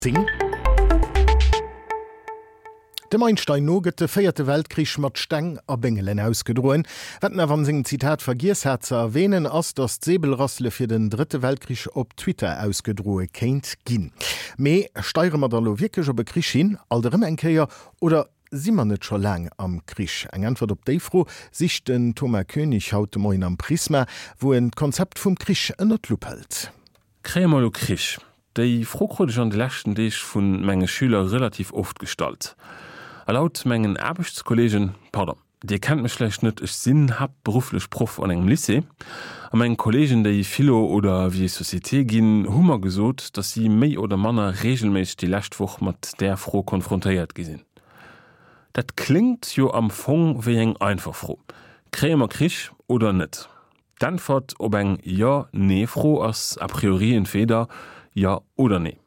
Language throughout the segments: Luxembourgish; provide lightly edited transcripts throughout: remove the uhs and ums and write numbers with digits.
10. Dem Einstein no gëtt de véierte Weltkrich mat Steng a Béngelen ausgedroen. Wat en awer an sengem Zitat vergiess hat ze erwähnen, ass, datt d'Säbelrassele fir den drëtte Weltkrich op Twitter ausgedroe kéint ginn. Mee steiere mer da lo wierklech op e Krich hin, alt erëm eng Kéier, oder si mer net scho laang am Krich? Eng Äntwert op déi Fro sicht den Thomas Koenig haut de Moien am Prisma, wou en d'Konzept vum Krich ënner d'Lupp hëlt. Kréie mer elo Krich? Déi Fro krut ech an de leschten Deeg vu menge Schüler relativ oft gestallt. A laut mengen Aarbechtskolleegen, pardon, Dir kennt mech vläicht net, ech sinn haaptberufflech Proff an engem Lycée, a meng Kolleegen, déi Philo oder Vie et Société ginn, hu mer gesot, datt si méi oder manner reegelméisseg déi lescht Woch mat där Fro konfrontéiert gi sinn. Dat kléngt jo am Fong wéi eng einfach Fro, Kréie mer Krich oder net? D'Äntwert op eng Jo-Nee-Fro ass a priori entweeder Jo oder Nee.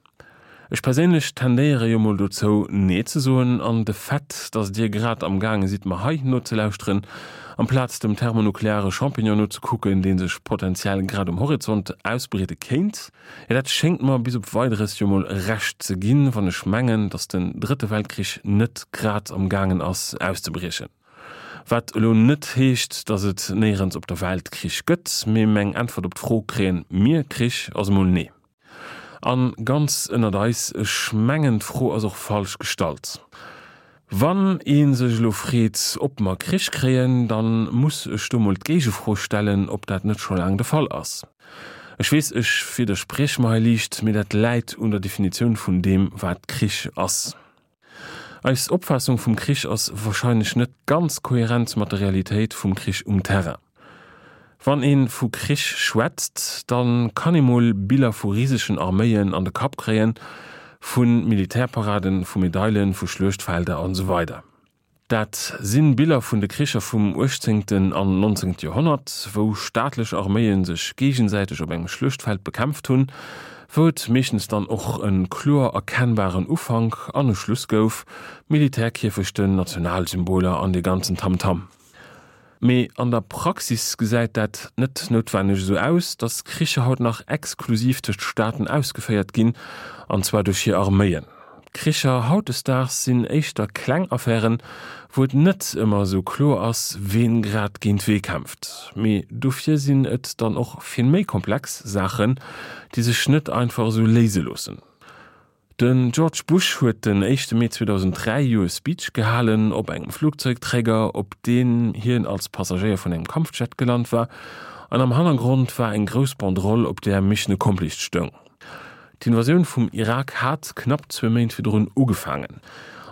Ech perséinlech tendéiere jo mol dozou, Nee ze soen, an de Fait, dass Dir grad am gaange sidd mer hei nozelauschteren, amplaz dem thermonukleare Champignon nozekucken, dee sech potentiell grad um Horizont ausbreede kéint, jo dat schéngt mer bis op Weideres jo mol Recht ze ginn, wann ech mengen, dass den Drëtte Weltkrich net grad am gaangen ass auszebriechen. Wat elo net heescht, datt et néierens op der Welt Krich gëtt, mee meng Äntwert op d'Fro Kréien mir Krich? ass emol nee. An ganz ënnert eis, ech mengen d'Fro ass och falsch gestallt. Wann ee sech elo freet, ob mer Krich kréien, dann muss ech do mol d'Géigefro stellen, ob dat net scho laang de Fall ass. Ech weess, ech widderspriech mer hei liicht, mee dat läit un der Definitioun vun deem wat Krich ass. Eis Opfaassung vum Krich ass wahrscheinlech net ganz kohärent mat der Realitéit vum Krich um Terrain. Wann ee vu Krich schwätzt, da kann ee mol Biller vu risegen Arméien an de Kapp kréien, vu Militärparaden, vu Medailen, vu Schluechtfelder an esou weider. Dat si Biller vun de Kricher vum uechtzéngten an nonzéngte Joerhonnert, wou staatlech Arméie sech géigesäiteg op engem Schluechtfeld bekämpft hunn, wou et meeschtens dann och e kloer erkennbaren Ufank an e Schluss gouf, Militärkierfechten, Nationalsymboler an dee ganzen Tamtam. Mee an der Praxis gesäit dat net noutwenneg esou aus, datt Kricher haut nach exklusiv tëscht Staaten ausgeféiert ginn, an zwar duerch hir Arméien. Kricher hautdesdaags sinn éischter kleng Affären, wou et net ëmmer esou kloer ass, ween grad géint wee kämpft. Mee dofir sinn et dann och vill méi komplex Saachen, déi sech net einfach esou léise loossen. Den George Bush huet den éischte Mee 2003 jo e Speech gehalen op engem Flugzeugträger, op deem hien als Passagéier vun engem Kampfjet gelant war, an am Hannergrond war eng grouss Banderole, op där Mission accomplished stoung. D'Invasioun vum Irak hat knapp zwee Méint virdrun ugefaangen.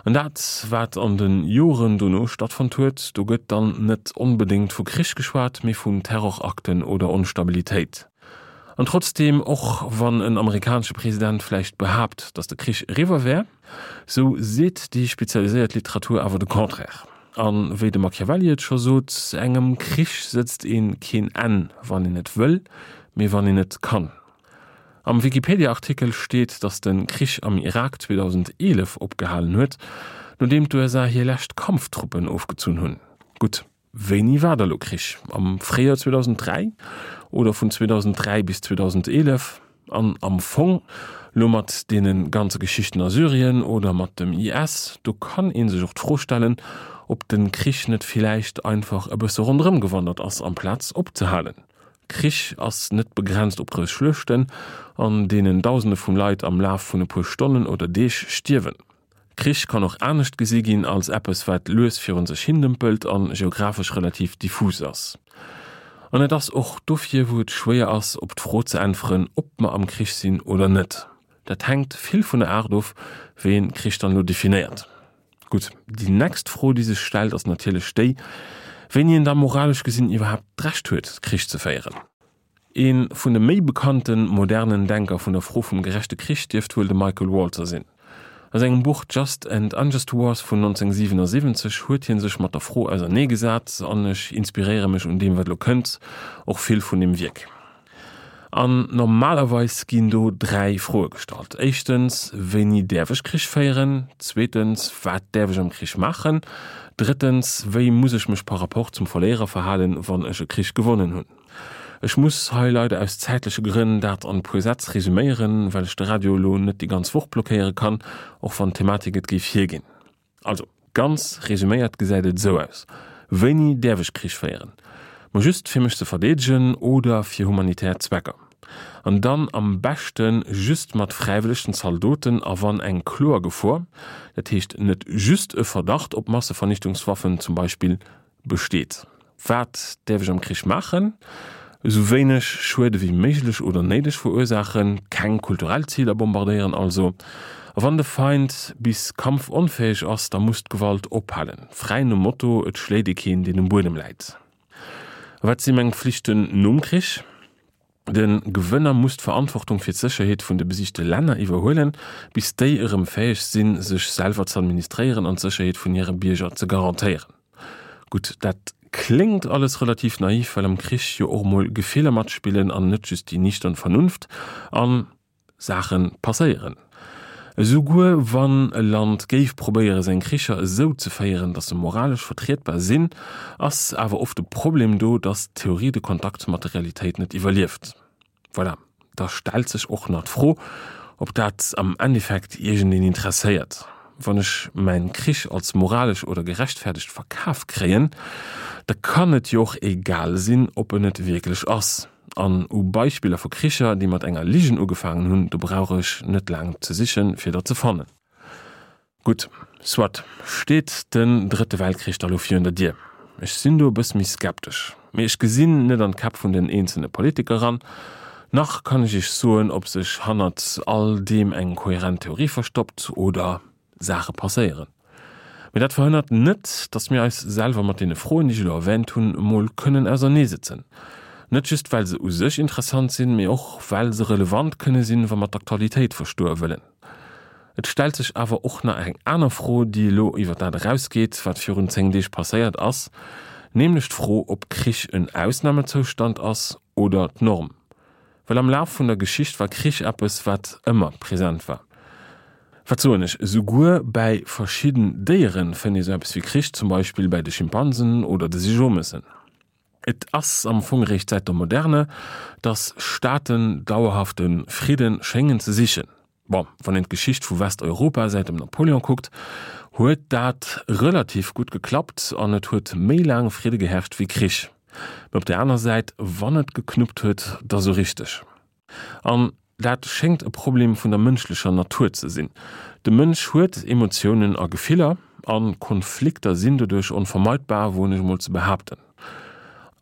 An dat, wat an de Joren dono stattfonnt huet, do gëtt dann net onbedéngt vu Krich geschwat, mee vun Terrorakten oder Onstabilitéit. An trotzdeem, och wann en amerikanesche President vläicht behaapt, datt de Krich eriwwer wär, sou seet déi spezialiséiert Literatur awer de Contraire. A wéi de Machiavelli et scho sot, Engem Krich sëtzt ee keen Enn, wann een et wëll, mee wann een et kann. Am Wikipedia-Artikel steet, datt de Krich am Irak 2011 opgehalen huet, nodeem d'USA hir lescht Kampftruppen ofgezunn hunn. Gutt. Wéini war da lo Krich? Am Fréijoer 2003 oder vun 2003 bis 2011? An am Fong, lo mat deene ganze Geschichten a Syrien oder mat dem IS, do kann ee sech och d'Fro stellen, ob de Krich net villäicht einfach e bësse ronderëm gewandert ass amplaz opzehalen. Krich ass net begrenzt op grouss Schluechten, an deenen Dausende vun Leit am Laf vun e puer Stonnen oder Deeg stierwen. Krich kann och anescht gesi ginn als eppes wat lues virun sech hindëmpelt an geographesch relativ diffus ass. An et ass och dofir wou et schwéier ass op d'Fro ze äntweren ob mer am Krich sinn oder net. Dat hänkt vill vun der Aart of wéi een Krich dann elo definéiert. Gutt, déi next Fro déi sech stellt ass natierlech déi, wéini een da moralesch gesinn iwwerhaapt d'Recht huet Krich ze féieren. Ee vun de méi bekannte modernen Denker vun der Fro vum gerechte Krich dierft wuel de Michael Walzer sinn. A sengem Buch Just and Unjust Wars vun 1977 huet hie sech mat der Fro auserneegesat an ech inspiréiere mech un deem wat elo kënnt och vill vun deem Wierk. An normalerweis ginn do 3 Froe gestallt, éischtens, wéini däerf ech Krich féieren? Zweetens, wat däerf ech am Krich maachen? Drëttens, wéi muss ech mech par rapport zum Verléierer verhalen, wann ech e Krich gewonnen hunn? Ech muss hei leider aus zäitleche Grënn dat an e puer Sätz resüméieren, well ech de Radio elo net déi ganz Woch blockéiere kann, och wann d'Thematik et géif hierginn. Also, ganz resüméiert gesäit et esou aus, Wéini däerf ech Krich féieren? Ma just fir mech ze verdeedegen oder fir humanitär Zwecker. An dann am beschte just mat fräiwëllegen Zaldoten a wann eng kloer Gefor, dat heescht net just e Verdacht op Massevernichtungswaffen zum Beispill, besteet. Wat däerf ech am Krich maachen? Esou wéineg Schued ewéi méiglech oder néideg verursaachen, keng kulturell Ziler bombardéieren also. A wann de Feind bis kampfonfäeg ass, da muss d'Gewalt ophalen. Fräi nom Motto, et schléit ee keen, deen um Buedem läit. A wat si meng Flichten nom Krich? De Gewënner muss d'Verantwortung fir d'Sécherheet vun de besiegte Länner iwwerhuelen, bis déi erëm fäeg sinn, sech selwer z'administréieren an d'Sécherheet vun hire Bierger ze garantéieren. Gutt, dat kléngt alles relativ naiv, well am Krich jo och mol Gefiller matspillen an net just déi nichtern Vernunft. An Saache passéieren. Esouguer wann e Land géif probéiere seng Kricher esou ze féieren, datt se moralesch vertrietbar sinn, ass awer oft de Problem do, datt d'Theorie de Kontakt mat der Realitéit net iwwerlieft. Voilà, da stellt sech och nach d'Fro, ob dat am Endeffekt iergendeen interesséiert. Wann ech mäin Krich als moralesch oder gerechtfäerdegt verkaf kréien, da kann et jo och egal sinn, ob en et wierklech ass. An u Beispiller vu Kricher, déi mat enger Ligen ugefaangen hunn, do brauch ech net laang ze sichen, fir der ze fannen. Gutt, soit, steet den Drëtte Weltkrich da lo virun der Dier? Ech sinn do e bësse méi skeptesch. Mee ech gesinn net an d'Käpp vun den eenzelne Politiker eran, nach kann ech iech soen, ob sech hannert all deem eng kohärent Theorie verstoppt oder Saache passéieren. Mee dat verhënnert net, datt mir eis selwer mat deene Froen, déi ech elo erwähnt hunn, emol kënnen auserneesëtzen. Net just well se u sech interessant sinn, mee och well se relevant kënne sinn, wa mer d'Aktualitéit verstoe wëllen. Et stellt sech awer och nach eng aner Fro, déi elo iwwer dat erausgeet, wat virun 10 Deeg passéiert ass, nämlech d'Fro, ob Krich en Ausnamezoustand ass oder d'Norm. Well am Laf vun der Geschicht war Krich eppes, wat ëmmer present war. Wat soen ech, esouguer bäi verschidden Déiere fënnt ee sou eppes wéi Krich, zum Beispill bäi de Schimpansen oder de Seejomessen. Et ass am Fong eréischt säit der Moderne, datt Staaten dauerhafte Fridde schéngen ze sichen. Bon, wann een d'Geschicht vu Westeuropa säit dem Napoléon kuckt, huet dat relativ gutt geklappt an et huet méi laang Fridde geherrscht wéi Krich. Mee op der aner Säit, wann et geknuppt huet, da sou richteg. An dat schéngt e Problem vun der mënschlecher Natur ze sinn. De Mënsch huet Emotiounen a Gefiller, a Konflikter sinn doduerch onvermeidbar, woen ech emol ze behaapten.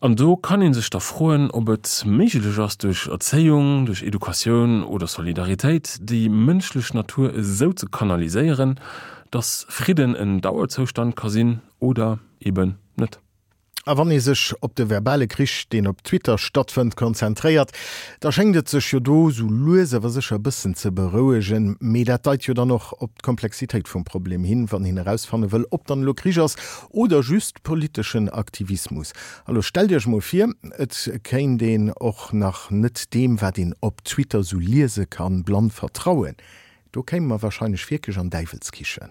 An do kann ee sech da froen, ob et méiglech ass, duerch Erzéiung, duerch Educatioun oder Solidaritéit déi mënschlech Natur esou ze kanaliséieren, dass Fridden en Dauerzoustand ka sinn oder eben net. A wann ee sech op de verbale Krich, deen op Twitter stattfënnt, konzentréiert, da schéngt et sech jo do sou lues awer sécher e bëssen ze berouegen. Mee dat deit jo dann och op d'Komplexitéit vum Problem hin, wann een erausfanne wëll, ob dann elo Krich ass oder just politeschen Aktivismus. Alo stellt Iech mol vir, et kéint een och nach net deem, wat een op Twitter sou liese kann, blann vertrauen. Do kéime mer wahrscheinlech wierklech an Däiwelskichen.